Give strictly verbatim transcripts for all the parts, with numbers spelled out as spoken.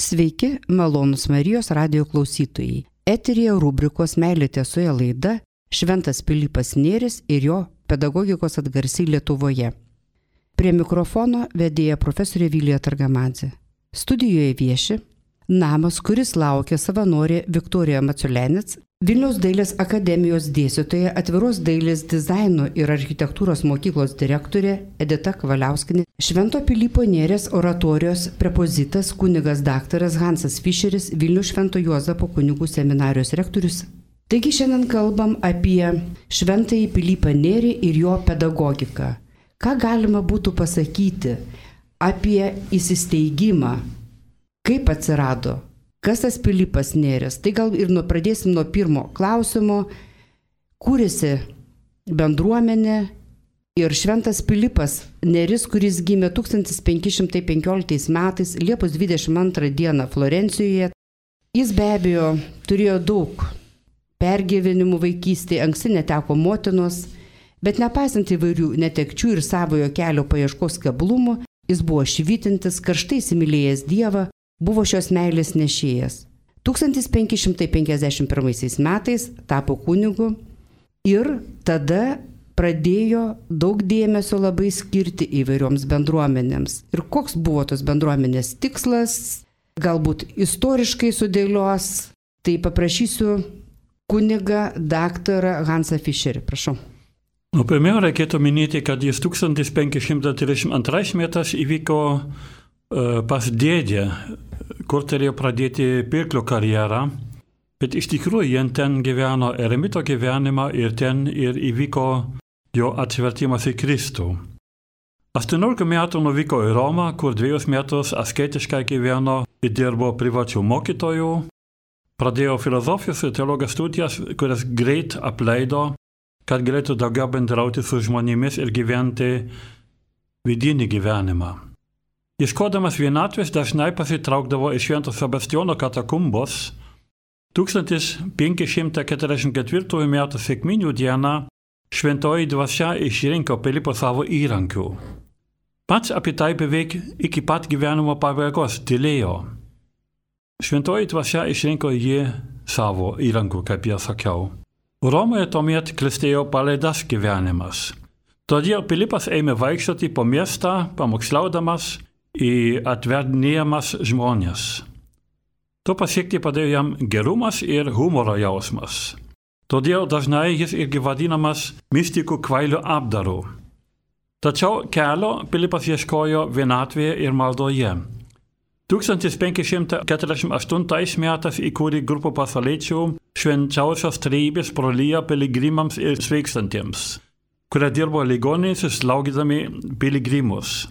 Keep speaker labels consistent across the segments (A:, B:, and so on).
A: Sveiki, malonūs Marijos radijo klausytojai. Eteryje rubrikos Meilė tiesoje laida Šventas Pilypas Nėris ir jo pedagogikos atgarsiai Lietuvoje. Prie mikrofono vedėja profesorė Vilija Targamadzė. Studijoje vieši namas, kuris laukia savanorė Viktorija Maciulenec, Vilniaus dailės akademijos dėstytoja, atviros dailės dizaino ir architektūros mokyklos direktorė Edita Kavaliauskienė, Švento Pilypo Nėries oratorijos prepozitas kunigas daktaras Hansas Fischeris, Vilniaus Švento Juozapo kunigų seminarijos rektorius. Taigi šiandien kalbam apie Šventąjį Pilypą Nėrį ir jo pedagogiką. Ką galima būtų pasakyti apie įsisteigimą, kaip atsirado? Kas tas Pilypas Nėris? Tai gal ir nuo, pradėsim nuo pirmo klausimo. Kūrėsi bendruomenė ir Šventas Pilypas Nėris, kuris gimė tūkstantis penki šimtai penkioliktais metais Liepos dvidešimt antrą dieną Florencijoje. Jis be abejo turėjo daug pergyvenimų vaikystėje, anksti neteko motinos, bet nepaisant įvairių netekčių ir savojo kelio paieškos keblumų, jis buvo švytintis, karštai įsimylėjęs Dievą, buvo šios meilės nešėjas. tūkstantis penki šimtai penkiasdešimt pirmaisiais metais tapo kunigu ir tada pradėjo daug dėmesio labai skirti įvairioms bendruomenėms. Ir koks buvo tos bendruomenės tikslas, galbūt istoriškai sudėlios, tai paprašysiu kunigą daktarą Hansą Fischerį. Prašau.
B: Nu, pirmiau reikėtų minėti, kad jis tūkstantis penki šimtai trisdešimt antrais metais įvyko pas dėdę, kur turėjo pradėti pirklio karjerą, bet iš tikrųjų jie ten gyveno eremito gyvenimą ir ten ir įvyko jo atsivertimas į Kristų. aštuoniolika metų nuvyko į Romą, kur dviejus metus asketiškai gyveno ir dirbo privačių mokytojų, pradėjo filosofijos ir teologijos studijas, kurias greit apleido, kad galėtų daugiau bendrauti su žmonėmis ir gyventi vidinį gyvenimą. Ieškodamas vienatvės dažnai pasitraukdavo iš Švento Sebastiano katakumbos. tūkstantis penki šimtai keturiasdešimt ketvirtųjų metų sekminių dieną šventoji dvasia išrinko Pilypą savo įrankiu. Pats apie tai beveik iki pat gyvenimo pabaigos tylėjo. Šventoji dvasia išrinko jį savo įrankiu, kaip jau sakiau. Romoje tuomet klestėjo palaidas gyvenimas. Todėl Pilypas ėmė vaikščioti po miestą, pamokslaudamas į atverdinėjamas žmonės. To pasiekti padėjo jam gerumas ir humoro jausmas. Todėl dažnai jis irgi vadinamas mistikų kvailių apdaru. Tačiau kelio Pilypas ieškojo vienatvėje ir maldoje. tūkstantis penki šimtai keturiasdešimt aštuntais metais įkūrė grupę pasauliečių Švenčiausios Trejybės broliją piligrimams ir sveikstantiems, kurie dirbo ligoninėse slaugydami piligrimus.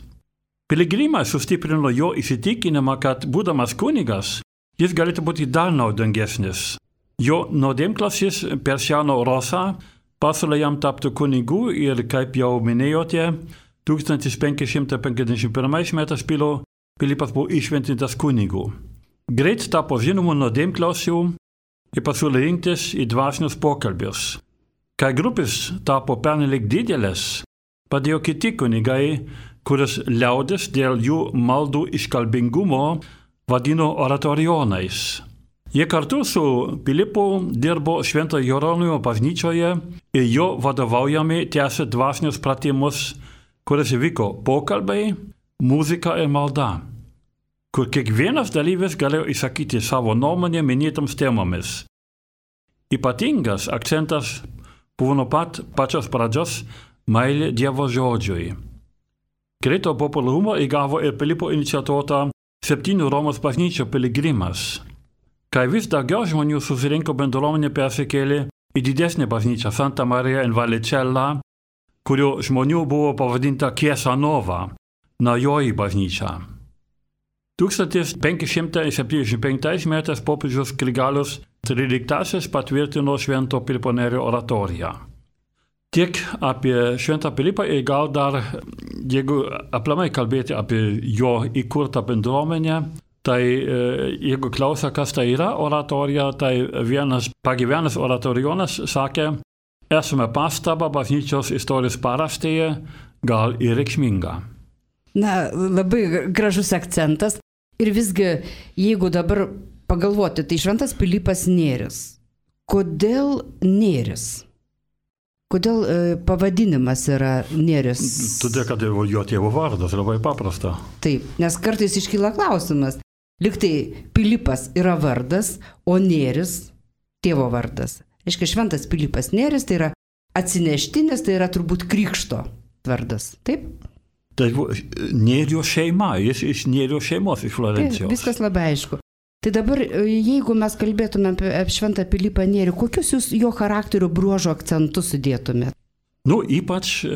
B: Piligrimai sustiprino jo įsitikinimą, kad būdamas kunigas, jis galėtų būti dar naudingesnis. Jo nuodėmklasis Persiano Rosa pasiūlė jam tapti kunigu ir, kaip jau minėjote, tūkstantis penki šimtai penkiasdešimt pirmais metais Pilypas buvo iššventintas kunigu. Greit tapo žinomu nuodėmklasiu ir pasiūlė rinktis į dvasinius pokalbius. Kai grupės tapo pernelyg didelės, padėjo kiti kunigai, kuris liaudis dėl jų maldų iškalbingumo vadino oratorionais. Jie kartu su Pilypu dirbo Švento Jeronimo bažnyčioje ir jo vadovaujami tęsė dvasinius pratimus, kuris vyko pokalbiai, muzika ir malda, kur kiekvienas dalyvis galėjo įsakyti savo nuomonę minėtoms temomis. Ypatingas akcentas buvo nuo pat pačios pradžios meilė Dievo žodžiui. Greito populiarumo įgavo ir Pilypo iniciatuota septynių Romos bažnyčių piligrimas. Kai vis daugiau žmonių susirinko, bendruomenė persikėlė į didesnę bažnyčią Santa Maria in Vallicella, kurio žmonių buvo pavadinta Chiesa Nova, naujoji bažnyčia. tūkstantis penki šimtai septyniasdešimt penktais metais popiežius Grigalius tryliktasis patvirtino Švento Pilypo Nėrio oratoriją. Tiek apie Šventą Pilypą ir gal dar, jeigu aplamai kalbėti apie jo įkurtą bendruomenę, tai jeigu klausia, kas tai yra oratorija, tai vienas pagyvenęs oratorionas sakė, esame pastaba bažnyčios istorijos paraštėje, gal ir reikšminga.
A: Na, labai gražus akcentas. Ir visgi, jeigu dabar pagalvoti, tai Šventas Pilypas Nėris. Kodėl Nėris? Kodėl e, pavadinimas yra Nėris?
B: Todėl, kad jo tėvo vardas, labai paprasta.
A: Taip, nes kartais iškyla klausimas. Liktai Pilypas yra vardas, o Nėris tėvo vardas. Aiškiai, Šventas Pilypas Nėris tai yra atsineštinis, tai yra turbūt krikšto vardas. Taip?
B: Tai Nėrio šeima, jis iš Nėrio šeimos, iš Florencijos.
A: Taip, viskas labai aišku. Tai dabar, jeigu mes kalbėtume apie Šventą Pilypą Nėrį, kokius jūs jo charakterio bruožo akcentus sudėtumėte?
B: Nu, ypač e,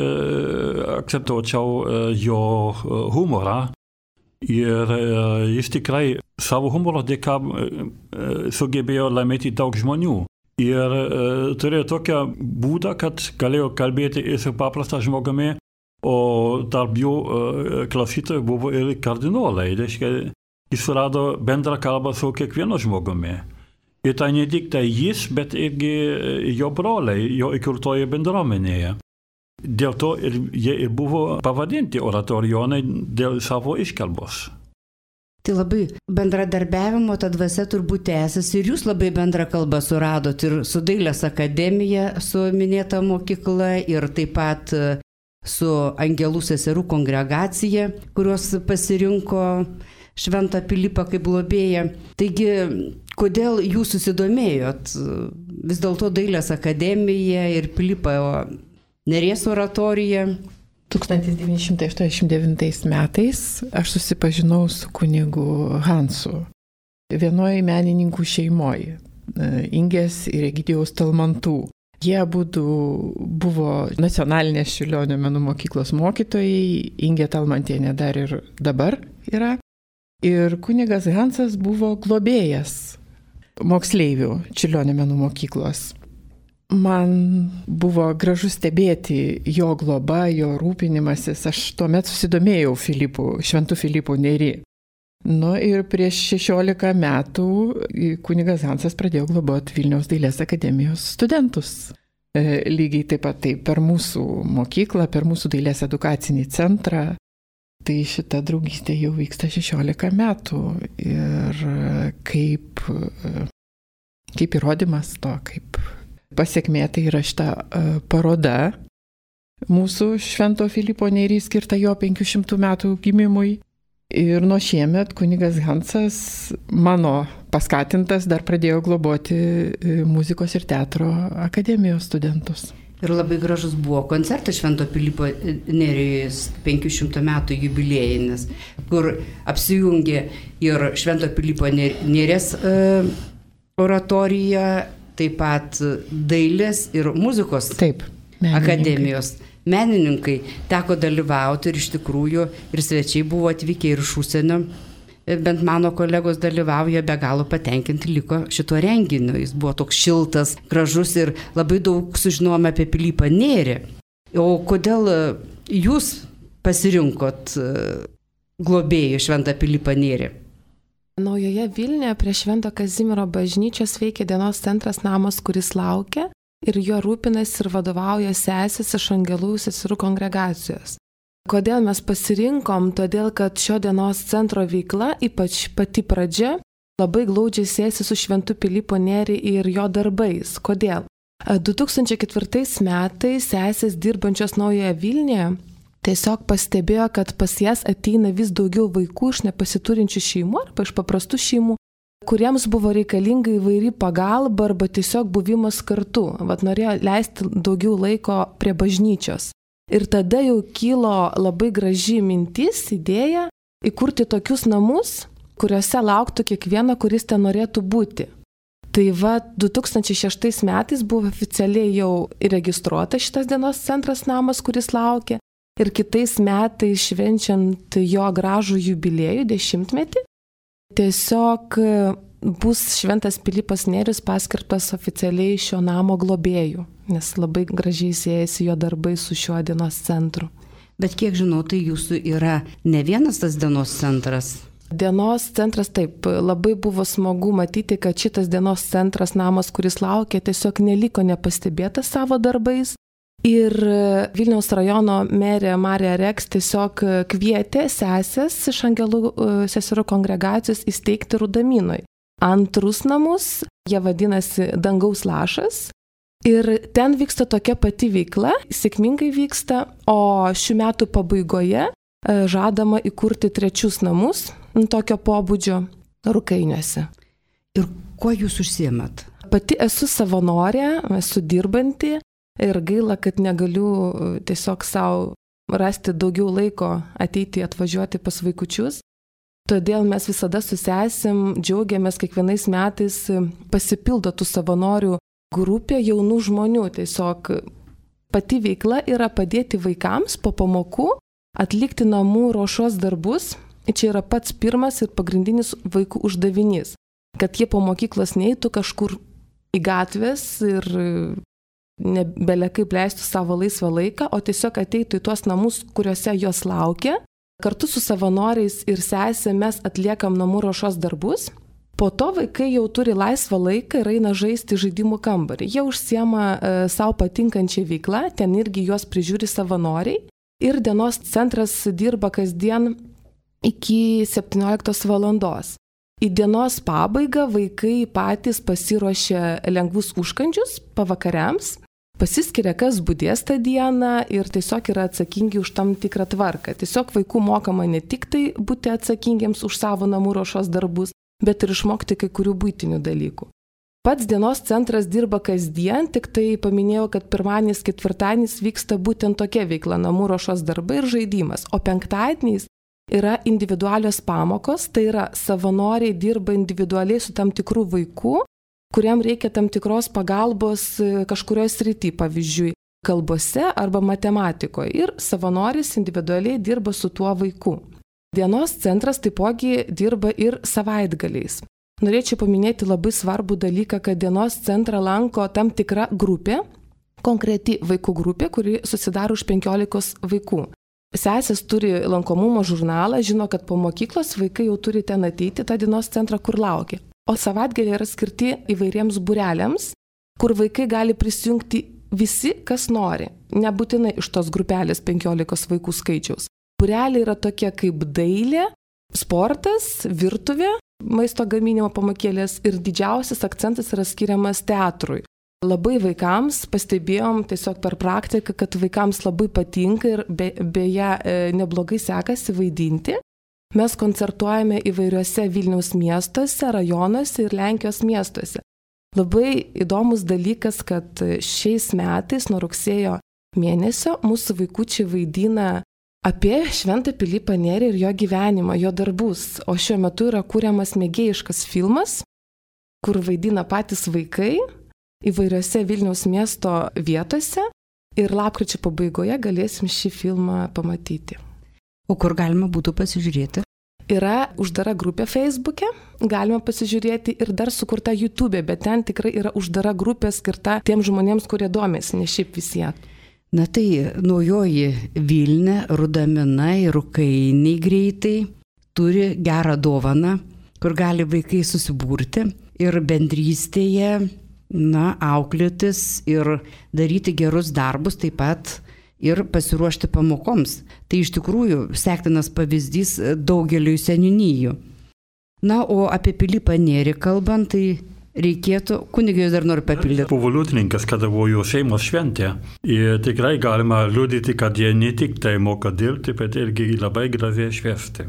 B: akcentuočiau e, jo humorą. Ir e, jis tikrai savo humoro dėka e, sugebėjo laimėti daug žmonių. Ir e, turėjo tokią būdą, kad galėjo kalbėti ir su paprastą žmogumi, o tarp jų e, klausytojų buvo ir kardinolai. Reiškia, jis surado bendrą kalbą su kiekvienu žmogumi. Ir tai ne tik tai jis, bet irgi jo broliai, jo įkurtoje bendruomenėje. Dėl to ir jie ir buvo pavadinti oratorijonai dėl savo iškalbos.
A: Tai labai bendradarbiavimo ta dvasia turbūt tęsiasi ir jūs labai bendrą kalbą suradot ir su Dailės akademija, su minėta mokykla ir taip pat su Angelų seserų kongregacija, kurios pasirinko Šventą Pilypą kaip globėją. Taigi, kodėl jūs susidomėjot vis dėlto Dailės akademija ir Pilypo Nėries oratorija?
C: tūkstantis devyni šimtai aštuoniasdešimt devintais metais aš susipažinau su kunigu Hansu. Vienoje menininkų šeimoje, Ingės ir Egidijaus Talmantų. Jie abudu buvo nacionalinės Čiurlionio menų mokyklos mokytojai, Ingė Talmantienė dar ir dabar yra. Ir kunigas Hansas buvo globėjas moksleivių Čiurlionio menų mokyklos. Man buvo gražu stebėti jo globą, jo rūpinimasis. Aš tuomet susidomėjau Filipu, Šventu Filipu Nėrį. Nu ir prieš šešiolika metų kunigas Hansas pradėjo globoti Vilniaus dailės akademijos studentus. E, lygiai taip pat tai per mūsų mokyklą, per mūsų dailės edukacinį centrą. Tai šita draugystė jau vyksta šešiolika metų ir kaip, kaip įrodymas to, kaip pasiekmė, tai yra šita paroda mūsų Švento Filipo Nėrį skirta jo penkių šimtų metų gimimui. Ir nuo šiemet kunigas Hansas, mano paskatintas, dar pradėjo globoti muzikos ir teatro akademijos studentus.
A: Ir labai gražus buvo koncertas Švento Pilypo Nėrijos penkių šimtų metų jubiliejinis, kur apsijungė ir Švento Pilypo Nėries uh, oratorija, taip pat dailės ir muzikos
C: taip, menininkai.
A: Akademijos. Menininkai teko dalyvauti ir iš tikrųjų ir svečiai buvo atvykę ir iš užsienio. Bent mano kolegos dalyvauja, be galo patenkinti liko šituo renginiu. Jis buvo toks šiltas, gražus ir labai daug sužinojome apie Pilypą Nėrį. O kodėl jūs pasirinkot globėjų Šventą Pilypą Nėrį?
D: Naujoje Vilniuje prie Švento Kazimiero bažnyčios veikia dienos centras Namas, kuris laukia ir juo rūpinasi ir vadovauja sesės iš Angelų seserų kongregacijos. Kodėl mes pasirinkom? Todėl, kad šio dienos centro veikla, ypač pati pradžia, labai glaudžiai siejasi su Šventu Pilypu Nėrį ir jo darbais. Kodėl? du tūkstančiai ketvirtais metais sesės dirbančios Naujoje Vilniuje tiesiog pastebėjo, kad pas jas ateina vis daugiau vaikų iš nepasiturinčių šeimų arba iš paprastų šeimų, kuriems buvo reikalinga įvairi pagalba arba tiesiog buvimas kartu. Vat norėjo leisti daugiau laiko prie bažnyčios. Ir tada jau kilo labai graži mintis, idėja įkurti tokius namus, kuriuose lauktų kiekvieno, kuris ten norėtų būti. Tai va, du tūkstančiai šeštais metais buvo oficialiai jau įregistruota šitas dienos centras Namas, kuris laukia. Ir kitais metais švenčiant jo gražų jubiliejų dešimtmetį, tiesiog bus Šventas Pilypas Nėris paskirtas oficialiai šio namo globėjų, nes labai gražiai siejasi jo darbai su šiuo dienos centru.
A: Bet kiek žinau, tai jūsų yra ne vienas tas dienos centras.
D: Dienos centras, taip, labai buvo smagu matyti, kad šitas dienos centras Namas, kuris laukia, tiesiog neliko nepastebėtas savo darbais. Ir Vilniaus rajono merė Marija Reks tiesiog kvietė sesės iš Angelų seserų kongregacijos įsteigti Rudaminoj antrus namus, jie vadinasi Dangaus lašas. Ir ten vyksta tokia pati veikla, sėkmingai vyksta, o šių metų pabaigoje žadama įkurti trečius namus tokio pobūdžio Rukainiuose.
A: Ir kuo jūs užsiemat?
D: Pati esu savanorė, esu dirbanti. Ir gaila, kad negaliu tiesiog savo rasti daugiau laiko ateiti atvažiuoti pas vaikučius. Todėl mes visada su sesėm džiaugiamės kiekvienais metais pasipildo tų savanorių grupė jaunų žmonių. Tiesiog pati veikla yra padėti vaikams po pamokų atlikti namų ruošos darbus. Čia yra pats pirmas ir pagrindinis vaikų uždavinys. Kad jie po mokyklos neeitų kažkur į gatvės ir nebele kaip leistų savo laisvą laiką, o tiesiog ateitų į tuos namus, kuriuose jos laukia. Kartu su savanoriais ir sesė mes atliekam namų ruošos darbus. Po to vaikai jau turi laisvą laiką ir eina žaisti žaidimų kambarį. Jie užsiema e, savo patinkančią veiklą, ten irgi juos prižiūri savanoriai. Ir dienos centras dirba kasdien iki septynioliktos valandos. Į dienos pabaigą vaikai patys pasiruošia lengvus užkandžius pavakariams. Pasiskiria, kas budės tą dieną ir tiesiog yra atsakingi už tam tikrą tvarką. Tiesiog vaikų mokama ne tik tai būti atsakingiems už savo namų ruošos darbus, bet ir išmokti kai kurių buitinių dalykų. Pats dienos centras dirba kasdien, tik tai paminėjau, kad pirmadienis, ketvirtadienis vyksta būtent tokia veikla, namų ruošos darbai ir žaidimas, o penktadieniais yra individualios pamokos, tai yra savanoriai dirba individualiai su tam tikrų vaikų, kuriam reikia tam tikros pagalbos kažkurioje srity, pavyzdžiui, kalbose arba matematikoje. Ir savanoris individualiai dirba su tuo vaiku. Dienos centras taipogi dirba ir savaitgaliais. Norėčiau paminėti labai svarbų dalyką, kad dienos centrą lanko tam tikra grupė, konkreti vaikų grupė, kuri susidaro už penkiolikos vaikų. Sesės turi lankomumo žurnalą, žino, kad po mokyklos vaikai jau turi ten ateiti tą dienos centrą, kur laukia. O savaitgaliai yra skirti įvairiems būreliams, kur vaikai gali prisijungti visi, kas nori, nebūtinai iš tos grupelės penkiolikos vaikų skaičiaus. Būreliai yra tokie kaip dailė, sportas, virtuvė, maisto gaminimo pamokėlės ir didžiausias akcentas yra skiriamas teatrui. Labai vaikams pastebėjom tiesiog per praktiką, kad vaikams labai patinka ir be, beje neblogai sekasi vaidinti. Mes koncertuojame įvairiuose Vilniaus miestuose, rajonuose ir Lenkijos miestuose. Labai įdomus dalykas, kad šiais metais nuo rugsėjo mėnesio mūsų vaikučiai vaidina apie Šventą Pilypą Nėrį ir jo gyvenimą, jo darbus. O šiuo metu yra kuriamas mėgėjiškas filmas, kur vaidina patys vaikai įvairiuose Vilniaus miesto vietose ir lapkričio pabaigoje galėsim šį filmą pamatyti.
A: O kur galima būtų pasižiūrėti?
D: Yra uždara grupė Facebook'e, galima pasižiūrėti ir dar sukurta YouTube'e, bet ten tikrai yra uždara grupė skirta tiems žmonėms, kurie domėsi, ne šiaip visie.
A: Na tai naujoji Vilnia, Rudamina ir Rukainiai greitai turi gerą dovaną, kur gali vaikai susibūrti ir bendrystėje, na, auklėtis ir daryti gerus darbus, taip pat ir pasiruošti pamokoms. Tai iš tikrųjų sektinas pavyzdys daugeliui seniūnijų. Na, o apie Pilypą Nėrį kalbant, tai reikėtų, kunigai dar noriu papildyti.
B: Buvo liudininkas, kada buvo jo šeimos šventė. Ir tikrai galima liudyti, kad jie ne tik tai moka dirbti, bet irgi labai gražiai švęsti.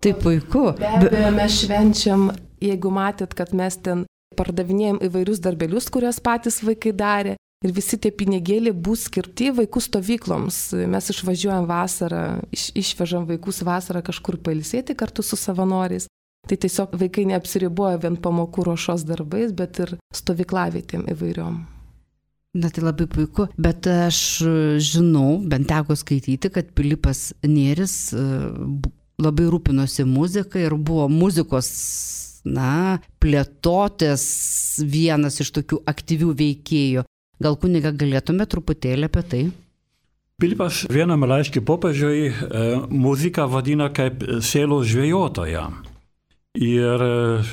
A: Tai puiku.
D: Be abejo, mes švenčiam, jeigu matėt, kad mes ten pardavinėjom įvairius darbelius, kuriuos patys vaikai darė. Ir visi tie pinigėliai bus skirti vaikų stovykloms. Mes išvažiuojam vasarą, iš, išvežam vaikus vasarą kažkur pailsėti kartu su savanoriais. Tai tiesiog vaikai neapsiriboja vien pamokų ruošos darbais, bet ir stovyklavietėm įvairiom.
A: Na tai labai puiku, bet aš žinau, bent teko skaityti, kad Pilypas Nėris labai rūpinosi muziką ir buvo muzikos, na, plėtotės vienas iš tokių aktyvių veikėjų. Gal kuniga galėtume truputėlį apie tai?
B: Pilypas vienam laiške popiežiui e, muziką vadina kaip sielos žvejotoja. Ir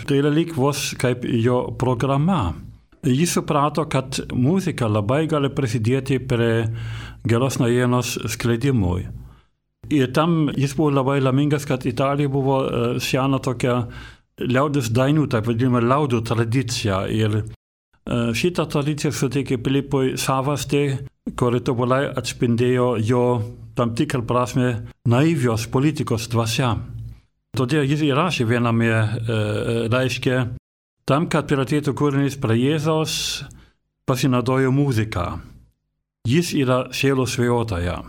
B: tai yra lyg vos kaip jo programa. jis suprato, kad muzika labai gali prisidėti prie geros naujienos skleidimui. Ir tam jis buvo labai laimingas, kad Italija buvo sena tokia liaudės dainų, taip vadinama liaudų tradicija. Ir šitą tradiciją suteikė Pilipui savastį, kuri tobulai atspindėjo jo tam tikrą prasme naivios politikos dvasia. Todėl jis įrašė viename laiške, tam, kad priartėtų kūrinys prie Jėzaus, pasinaudojo muziką. Jis yra sielos svajotoja.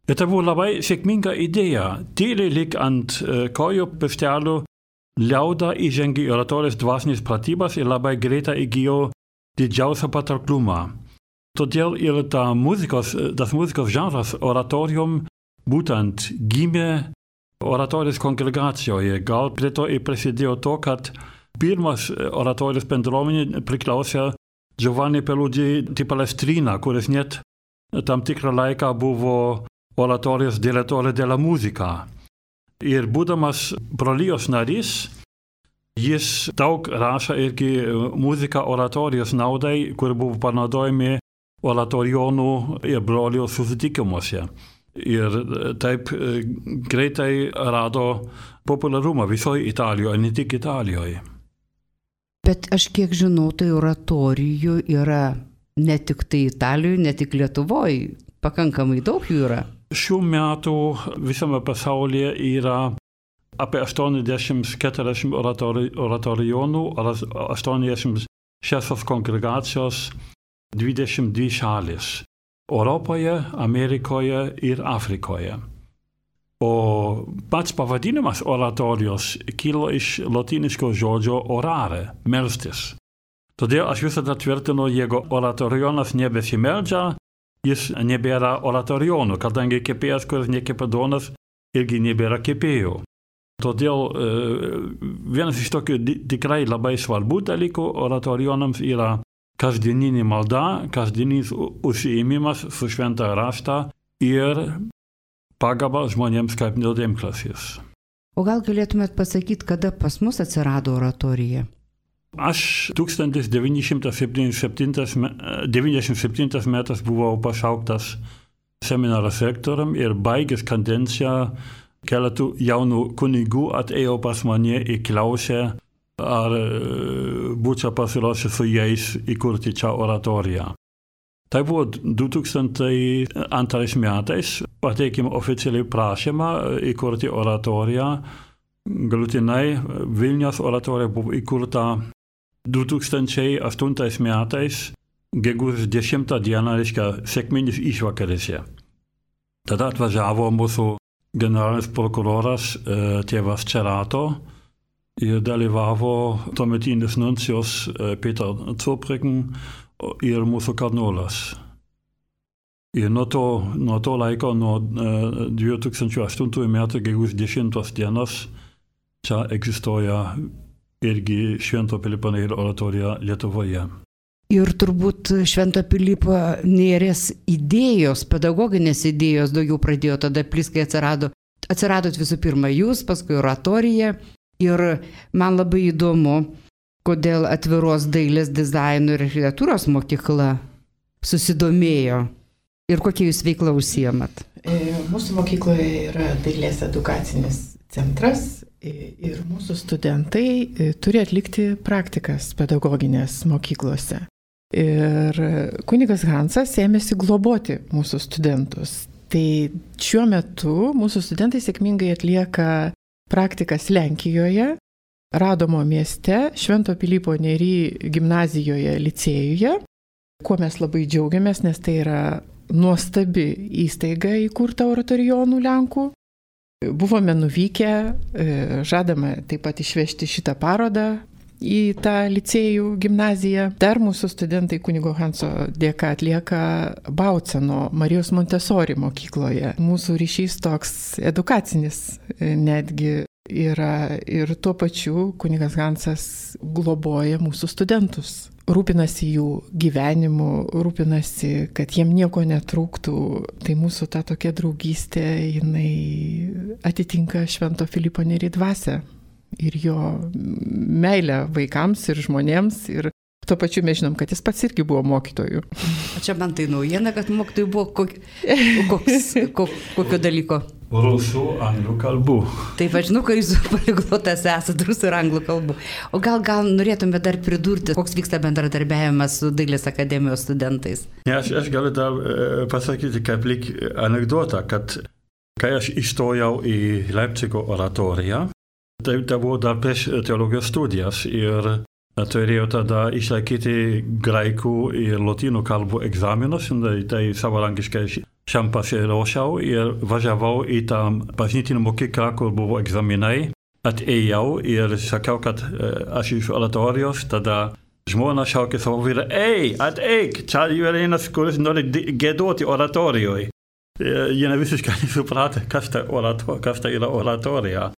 B: Ir tai buvo labai sėkminga idėja. Tyliai lyg ant kojų pirštelių liauda įžengė į oratorijos dvasinės pratybas ir labai greitai įgijo didžiausią patrauklumą. Todėl ir ta muzikos, tas muzikos žanras oratorium būtent gimė oratorijos kongregacijoje. Gal prie to ir prisidėjo to, kad pirmas oratorijos bendruomenė priklausė Giovanni Peludi di Palestrina, kuris net tam tikrą laiką buvo oratorijos direttore della musica. Ir būdamas brolijos narys, jis daug rašė irgi muziką oratorijos naudai, kur buvo panaudojami oratorijonų ir brolijos susitikimuose. Ir taip greitai rado populiarumą visoje Italijoje, ne tik Italijoje.
A: Bet aš kiek žinau, tai oratorijų yra ne tik tai Italijoje, ne tik Lietuvoje, pakankamai daug jų yra.
B: Šių metų visame pasaulyje yra apie aštuoniasdešimt keturiasdešimt oratorijonų, aštuoniasdešimt šešios kongregacijos, dvidešimt dvi šalis. Europoje, Amerikoje ir Afrikoje. O pats pavadinimas oratorijos kilo iš lotyniško žodžio orare, melstis. Todėl aš visada tvirtinu, jeigu oratorijonas nebesimeldžia, jis nebėra oratorijonų, kadangi kepėjas, kuris nekepa duonos, irgi nebėra kepėjų. Todėl vienas iš tokių tikrai labai svarbių dalykų oratorijonams yra kasdieninė malda, kasdieninis užsiėmimas su šventą raštą ir pagalba žmonėms kaip nuodėmklasis.
A: O gal galėtumėt pasakyti, kada pas mus atsirado oratorija?
B: Aš tūkstantis devyni šimtai devyniasdešimt septintais metais buvau pašauktas seminaras rektorium ir baigęs kadenciją keletų jaunų kunigų atėjo pas mane ir klausė, ar būčiau pasiruošęs su jais įkurti čia oratoriją. Tai buvo du tūkstančiai antrais metais, pateikėme oficialiai prašymą įkurti oratoriją. Galutinai Vilniaus oratorija buvo įkurta du tūkstančiai aštuntais metais, gegužės dešimtą dieną, reiškia sekminės išvakarėse. Tada atvažiavo mūsų generalinis prokuroras tėvas Cerato ir dalyvavo tuometinis nuncijus Peter Zurbriggen ir mūsų kardinolas. Ir nuo to, nuo to laiko, nuo du tūkstančiai aštuntųjų metų gegužės dešimtos dienos, čia egzistuoja irgi Švento Pilypo Nėrio oratorija Lietuvoje.
A: Ir turbūt Švento Pilypo Nėries idėjos, pedagoginės idėjos daugiau pradėjo tada plis, kai atsirado. Atsiradot visų pirma jūs, paskui oratorija. Ir man labai įdomu, kodėl atviros dailės dizaino ir architektūros mokykla susidomėjo ir kokia jūs veikla užsiemat.
C: Mūsų mokykloje yra dailės edukacinis centras ir mūsų studentai turi atlikti praktikas pedagoginės mokyklose. Ir kunigas Hansas ėmėsi globoti mūsų studentus. Tai šiuo metu mūsų studentai sėkmingai atlieka praktikas Lenkijoje, Radomo mieste, Švento Pilypo Nėry gimnazijoje, licėjuje, kuo mes labai džiaugiamės, nes tai yra nuostabi įstaiga įkurta oratorijonų Lenkų. Buvome nuvykę, žadame taip pat išvežti šitą parodą į tą licėjų gimnaziją. Dar mūsų studentai kunigo Hanso dėka atlieka Bauceno Marijos Montessori mokykloje. Mūsų ryšys toks edukacinis netgi yra ir tuo pačiu kunigas Hansas globoja mūsų studentus. Rūpinasi jų gyvenimu, rūpinasi, kad jiem nieko netrūktų. Tai mūsų ta tokia draugystė, jinai atitinka Švento Pilypo Nėry dvasią. Ir jo meilę vaikams ir žmonėms ir Tuo pačiu mes žinom, kad jis pats irgi buvo mokytojų.
A: O čia man tai naujiena, kad mokytojų buvo kok... koks, kok... kokio dalyko?
B: Rusų, anglų kalbų.
A: Taip, aš žinau, kad jūs poliglotas esate rusų ir anglų kalbų. O gal, gal norėtume dar pridurti, koks vyksta bendradarbiavimas su Dailės akademijos studentais?
B: Ne, aš, aš galiu dar e, pasakyti kaip lyg anekdotą, kad kai aš įstojau į Leipcigo oratoriją, tai, tai buvo dar prieš teologijos studijas ir turėjau tada išlaikyti graikų ir lotynų kalbų egzaminus, tai, tai savarankiškai šiam pasiruošiau ir važiavau į tą bažnytinę mokyklą, kur buvo egzaminai. Atėjau ir sakiau, kad aš iš oratorijos, tada žmona šaukė savo vyrą, ei, ateik, čia yra vienas, kuris nori giedoti oratorijoje. Jie ne visiškai nesuprato, kas tai orator, kas tai yra oratorija.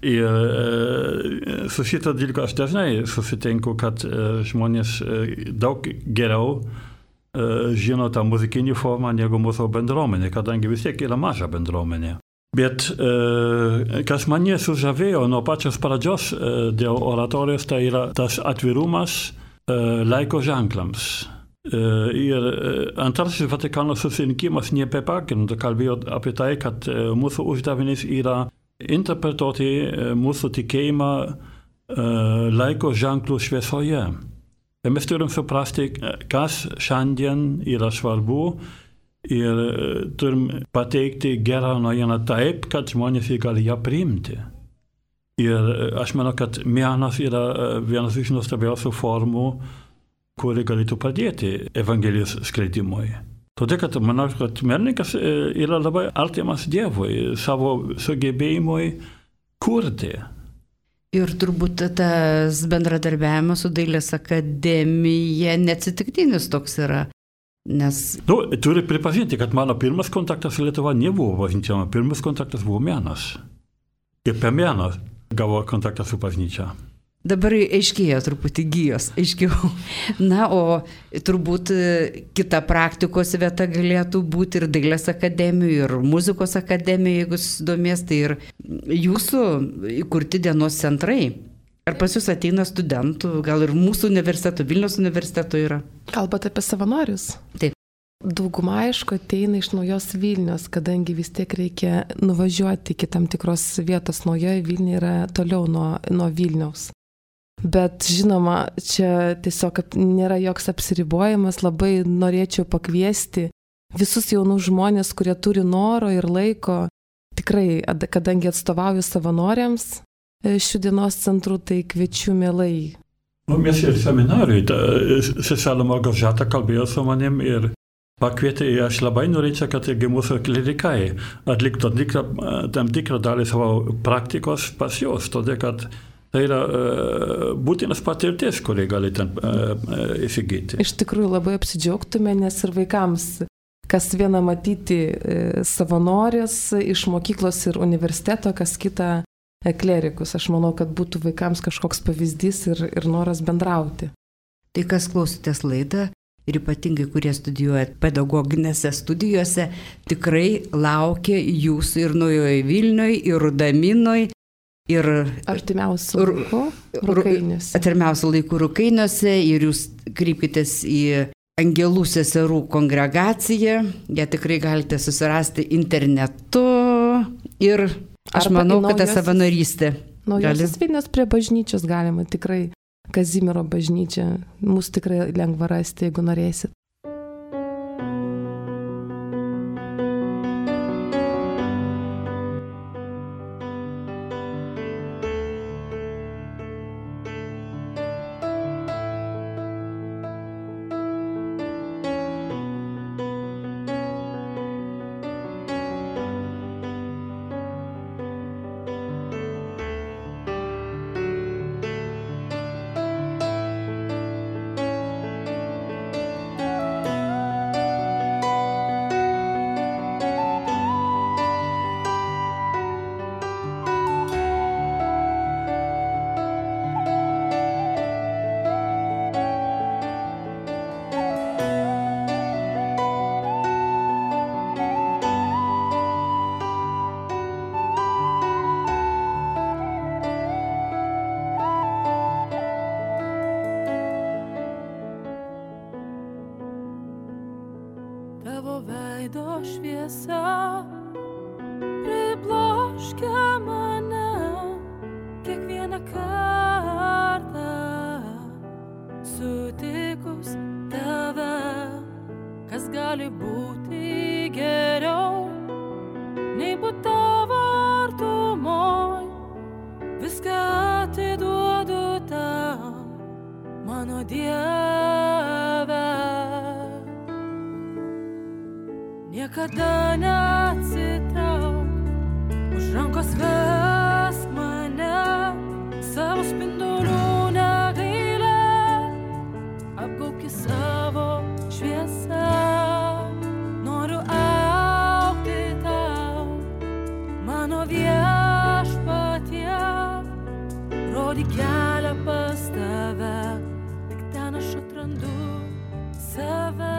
B: Ir e, su šito dalyku aš dažnai susitinku, kad e, žmonės e, daug geriau e, žino tą muzikinį formą negu mūsų bendruomenė, kadangi vis tiek yra maža bendruomenė. Bet e, kas mane sužavėjo nuo pačios pradžios e, dėl oratorijos, tai yra tas atvirumas e, laiko ženklams. E, ir e, antrasis Vatikano susirinkimas ne be pagrindo kalbėjo apie tai, kad e, mūsų uždavinys yra interpretuoti mūsų tikėjimą laiko ženklų šviesoje. Ir mes turim suprasti, kas šiandien yra svarbu ir turim pateikti gerą naujieną taip, kad žmonės gali ją priimti. Ir aš manau, kad menas yra vienas iš nuostabiausių formų, kuri galėtų padėti Evangelijos skleidimui. Todėl, kad manau, kad menininkas yra labai artimas Dievui, savo sugebėjimui kurti.
A: Ir turbūt tas bendradarbiavimas su Dailės akademija neatsitiktinis toks yra, nes...
B: Nu, turi pripažinti, kad mano pirmas kontaktas su Lietuva nebuvo bažnyčia, mano pirmas kontaktas buvo menas. Ir per meną gavo kontaktą su bažnyčia.
A: Dabar aiškėjo truputį gijos, aiškiau. Na, o turbūt kita praktikos vieta galėtų būti ir Dailės akademijų, ir muzikos akademijų, jeigu susidomės, tai ir jūsų įkurti dienos centrai. Ar pas jūs ateina studentų, gal ir mūsų universiteto, Vilniaus universiteto yra?
D: Kalbate apie savanorius?
A: Taip.
D: Dauguma, aišku, ateina iš naujos Vilnios, kadangi vis tiek reikia nuvažiuoti iki tam tikros vietos. Naujoje Vilniuje yra toliau nuo, nuo Vilniaus. Bet žinoma, čia tiesiog nėra joks apsiribojimas, labai norėčiau pakviesti visus jaunus žmonės, kurie turi noro ir laiko. Tikrai, kadangi atstovauju savanoriams šių dienos centrų, tai kviečiu mielai.
B: Nu, mes ir seminarijai, seselė Margažata kalbėjo su manim ir pakvietė, ir aš labai norėčiau, kad irgi mūsų klerikai atliktų tam tikrą dalį savo praktikos pas juos, todėl kad tai yra uh, būtinas patirtis, kurį gali ten uh, uh, įsigyti.
D: Iš tikrųjų labai apsidžiaugtume, nes ir vaikams, kas viena matyti uh, savanorius iš mokyklos ir universiteto, kas kita uh, klerikus. Aš manau, kad būtų vaikams kažkoks pavyzdys ir, ir noras bendrauti.
A: Tai kas klausotės laidą ir ypatingai, kurie studijuojat pedagoginėse studijose, tikrai laukia jūsų ir Naujoje Vilnioje, ir Rudaminoj, ir
D: artimiausių laikų Rukainiuose.
A: Artimiausių laikų Rukainiuose ir jūs kreipkitės į Angelų seserų kongregaciją. Ją tikrai galite susirasti internetu ir aš Arba manau, kad ta savanorystė.
D: Naujosios Vilnios prie bažnyčios galima tikrai, Kazimiero bažnyčia. Mūsų tikrai lengva rasti, jeigu norėsit.
E: šviesa pribloškia mane kiekvieną kartą sutikus tave, kas gali būti geriau nei būt tavo artumoj. Viską atiduodu tau, mano Dieve. Niekada neatsitrauk, už rankos vesk mane, savo spindulių negailėk, apgaubki savo šviesą. Noriu augti tau, mano viešpatie, rodyk kelią pas tave, tik ten aš atrandu save.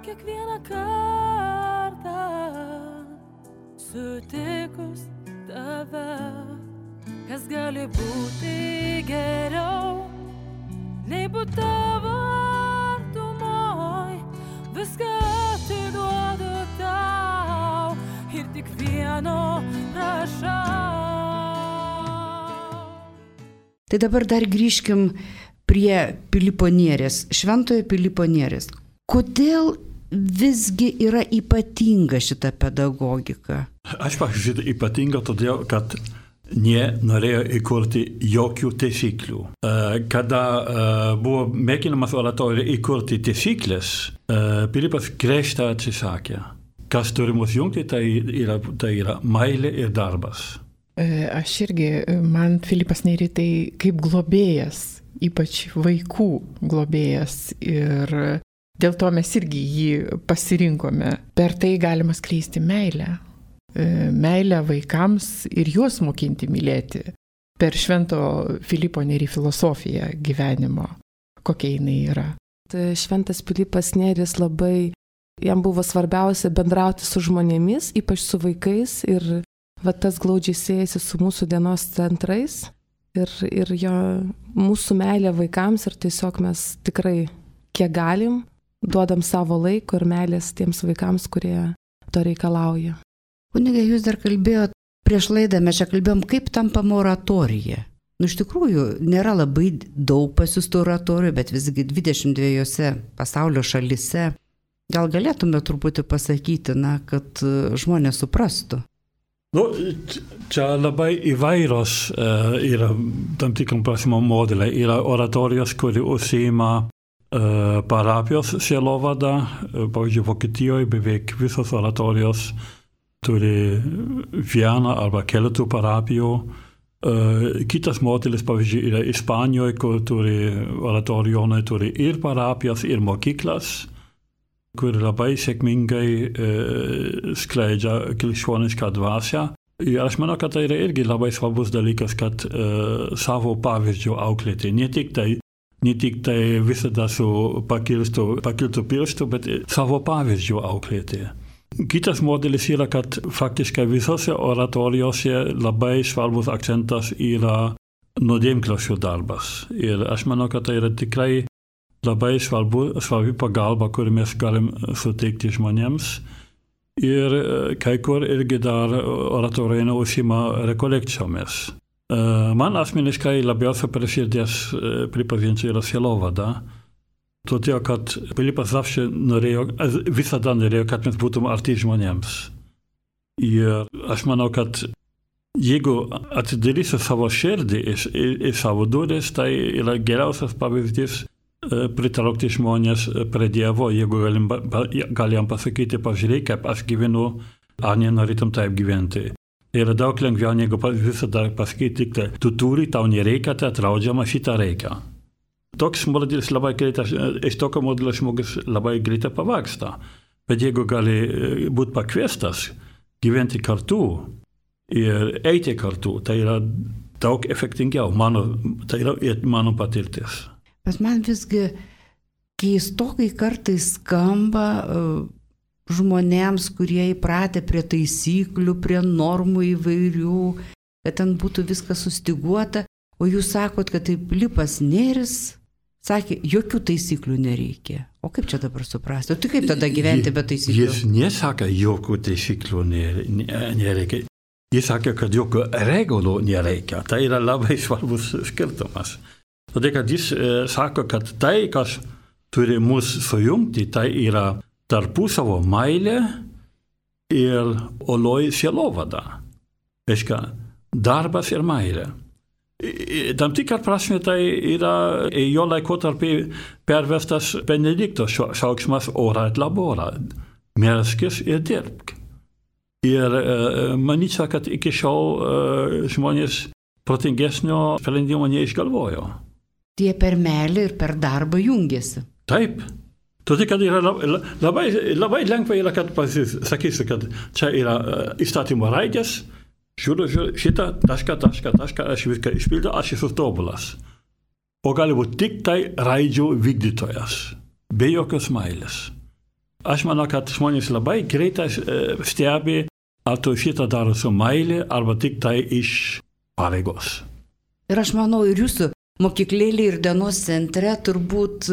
E: Kiekvieną kartą sutikus tave, kas gali būti geriau nei būt tavo artumoj. Viską atiduodu tau ir tik vieno prašau.
A: Tai dabar dar grįžkim prie Pilypo Nėries, šventojo Pilypo Nėries. Kodėl visgi yra ypatinga šita pedagogika?
B: Aš pažiūrėjau ypatinga todėl, kad nenorėjo įkurti jokių taisyklių. Kada buvo mėginamas oratorijoje įkurti taisyklės, Pilypas griežtai atsisakė. Kas turi mus jungti, tai yra, tai yra meilė ir darbas.
C: Aš irgi, man Pilypas Nėris tai kaip globėjas, ypač vaikų globėjas, ir dėl to mes irgi jį pasirinkome. Per tai galima skleisti meilę. meilę vaikams ir juos mokinti mylėti per Švento Filipo Nėry filosofiją gyvenimo, kokia jinai yra.
D: Tai Šventas Pilypas Nėris labai, jam buvo svarbiausia bendrauti su žmonėmis, ypač su vaikais, ir va, tas glaudžiai siejasi su mūsų dienos centrais ir, ir jo, mūsų meilė vaikams, ir tiesiog mes tikrai, kiek galim, duodam savo laiko ir meilės tiems vaikams, kurie to reikalauja.
A: Kunige, jūs dar kalbėjot, prieš laidą mes čia kalbėjom, kaip tampama oratorija. Nu, iš tikrųjų, nėra labai daug pasiųstų oratorijų, bet visgi dvidešimt dviejose pasaulio šalyse. Gal galėtume truputį pasakyti, na, kad žmonės suprastų?
B: Nu, čia labai įvairios uh, yra tam tikram prasme modeliai. Yra oratorijos, kuri užsiima uh, parapijos sielovada. Uh, pavyzdžiui, Vokietijoje beveik visos oratorijos turi vieną arba keletų parapijų. Uh, kitas modelis, pavyzdžiui, yra Ispanijoje, kur turi oratorijonai, turi ir parapijas, ir mokyklas, kur labai sėkmingai uh, skleidžia krikščionišką dvasią. Ir aš manau, kad tai yra irgi labai svarbus dalykas, kad uh, savo pavyzdžių auklėti. Ne tik tai, ne tik tai visada su pakiltų, pakiltų pirštų, bet savo pavyzdžių auklėti. Kitas modelis yra, kad faktiškai visose oratorijose labai svarbus akcentas yra nuodėmklausio darbas. Ir aš manau, kad tai yra tikrai labai svarbu, svarbi pagalba, kurį mes galim suteikti žmonėms. Ir kai kur irgi dar oratorijai užsiima rekolekcijomis. Man asmeniškai labiausiai prie širdies, pripažinsiu, yra sielovada. Todėl, kad Pilypas zawsze norėjo, visada norėjo, kad mes būtum arti žmonėms. Ir aš manau, kad jeigu atidarysiu savo širdį į savo duris, tai yra geriausias pavyzdys pritraukti žmonės prie Dievo, jeigu galim, galim pasakyti, pažiūrėk, kaip aš gyvenu, ar nenorėtum taip gyventi. Yra daug lengviau, negu visada pasakyti, kad tu turi, tau nereikia, tai draudžiama, šitą reikia. Toks modelis labai greitai, iš tokio modelio žmogus labai greitai pavaksta. Bet jeigu gali būti pakviestas gyventi kartu ir eiti kartu, tai yra daug efektingiau. Mano, tai yra mano patirtis.
A: Bet man visgi keistokai kartais skamba uh, žmonėms, kurie įpratę prie taisyklių, prie normų įvairių, kad ten būtų viskas sustiguota, o jūs sakot, kad tai Pilypas Nėris sakė, jokių taisyklių nereikia. O kaip čia dabar suprasti? O tai kaip tada gyventi be taisyklių?
B: Jis nesakė, jokių taisyklių nereikia. Jis sakė, kad jokių regulų nereikia. Tai yra labai svarbus skirtumas. Todėl, kad jis e, sako, kad tai, kas turi mus sujungti, tai yra tarpusavo meilė ir oloji sielovada. Reiškia, darbas ir meilė. Tam tikrą prasme tai yra jo laikotarpį pervestas Benedikto šauksmas ora et labora. Melskis ir dirbk. Ir manyčiau, kad iki šiol žmonės protingesnio sprendimo neišgalvojo.
A: Tie per meilę ir per darbą jungiasi.
B: Taip. Todėl, kad yra labai, labai lengva yra, kad pasakysiu, kad čia yra įstatymo raidės, žiūriu, žiūriu, šitą, tašką, tašką, tašką, aš viską išpildau, aš esu tobulas. O gali būti tik tai raidžių vykdytojas, be jokios meilės. Aš manau, kad žmonės labai greitai stebi, ar tu šitą daro su meilė, arba tik tai iš pareigos.
A: Ir aš manau, ir jūsų mokyklėlė ir dienos centre turbūt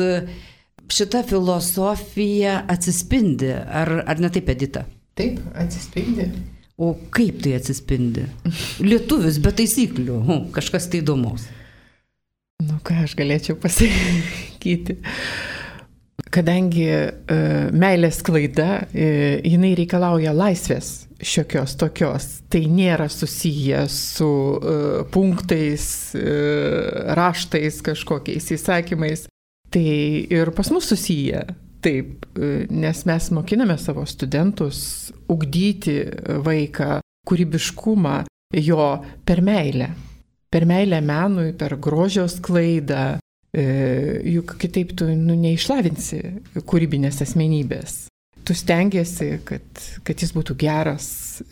A: šita filosofija atsispindi, ar, ar ne taip, Edita?
C: Taip, atsispindi.
A: O kaip tai atsispindi? Lietuvis be taisyklių, hu, kažkas tai įdomus.
C: Nu ką aš galėčiau pasakyti. Kadangi e, meilės klaida, e, jinai reikalauja laisvės šiokios tokios, tai nėra susiję su e, punktais, e, raštais, kažkokiais įsakymais, tai ir pas mus susiję. Taip, nes mes mokiname savo studentus ugdyti vaiką, kūrybiškumą jo per meilę. Per meilę menui, per grožio sklaidą, juk kitaip tu nu, neišlavinsi kūrybinės asmenybės. tu stengiasi, kad, kad jis būtų geras,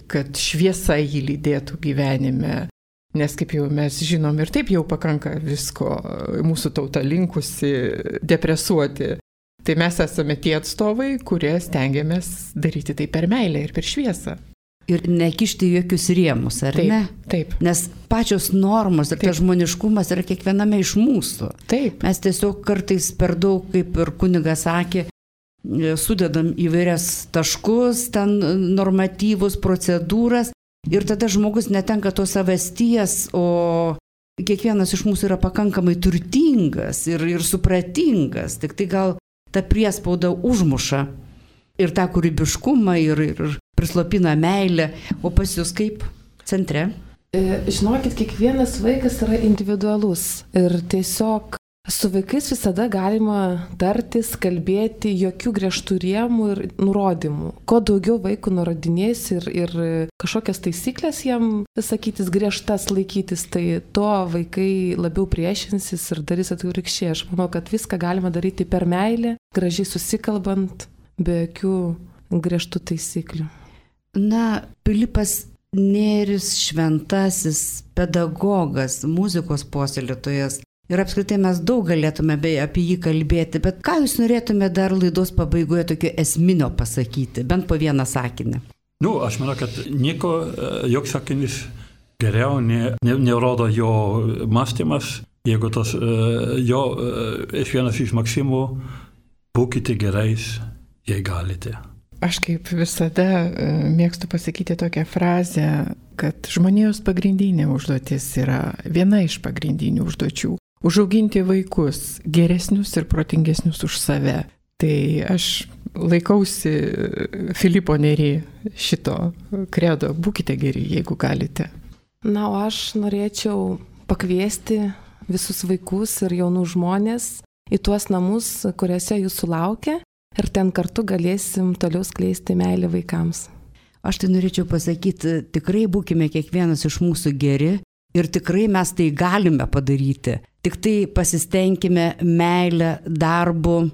C: kad šviesa jį lydėtų gyvenime. Nes kaip jau mes žinom ir taip jau pakanka visko, mūsų tauta linkusi depresuoti. Tai mes esame tie atstovai, kurie stengiamės daryti tai per meilę ir per šviesą.
A: Ir nekišti jokius rėmus, ar
C: taip,
A: ne?
C: Taip.
A: Nes pačios normos ir
C: taip.
A: tas žmoniškumas yra kiekviename iš mūsų.
C: Taip.
A: Mes tiesiog kartais per daug, kaip ir kunigas sakė, sudedam įvairias taškus, ten normatyvus, procedūras ir tada žmogus netenka tos savasties, o kiekvienas iš mūsų yra pakankamai turtingas ir, ir supratingas, tik tai gal ta priespauda užmuša ir tą kūrybiškumą, ir, ir prislopina meilę, o pas jūs kaip centre?
D: Žinokit, kiekvienas vaikas yra individualus ir tiesiog su vaikais visada galima tartis, kalbėti, jokių griežtų rėmų ir nurodymų. Kuo daugiau vaikų nurodinės ir, ir kažkokias taisyklės jam sakytis, griežtas laikytis, tai to vaikai labiau priešinsis ir darys atvirkščiai. Aš manau, kad viską galima daryti per meilę, gražiai susikalbant, be jokių griežtų taisyklių.
A: Na, Pilypas Nėris šventasis pedagogas, muzikos puoselėtojas. Ir apskritai mes daug galėtume apie jį kalbėti, bet ką jūs norėtume dar laidos pabaigoje tokio esminio pasakyti, bent po vieną sakinį?
B: Nu, aš manau, kad nieko, joks sakinys geriau ne, ne, nerodo jo mąstymas, jeigu tas jo iš vienas iš maksimų, būkite gerais, jei galite.
C: Aš kaip visada mėgstu pasakyti tokią frazę, kad žmonijos pagrindinė užduotis yra viena iš pagrindinių užduočių. Užauginti vaikus geresnius ir protingesnius už save. Tai aš laikausi Filipo Nėry šito kredo. Būkite geri, jeigu galite.
D: Na, o aš norėčiau pakviesti visus vaikus ir jaunų žmonės į tuos namus, kuriuose jūsų laukia. Ir ten kartu galėsim toliau skleisti meilę vaikams.
A: Aš tai norėčiau pasakyti, tikrai būkime kiekvienas iš mūsų geri ir tikrai mes tai galime padaryti. Tik tai pasistengime meilę, darbu,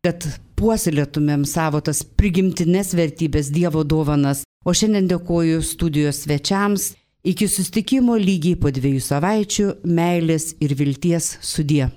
A: kad puoselėtumėm savo tas prigimtinės vertybės, Dievo dovanas. O šiandien dėkoju studijos svečiams. Iki susitikimo lygiai po dviejų savaičių, meilės ir vilties sudie.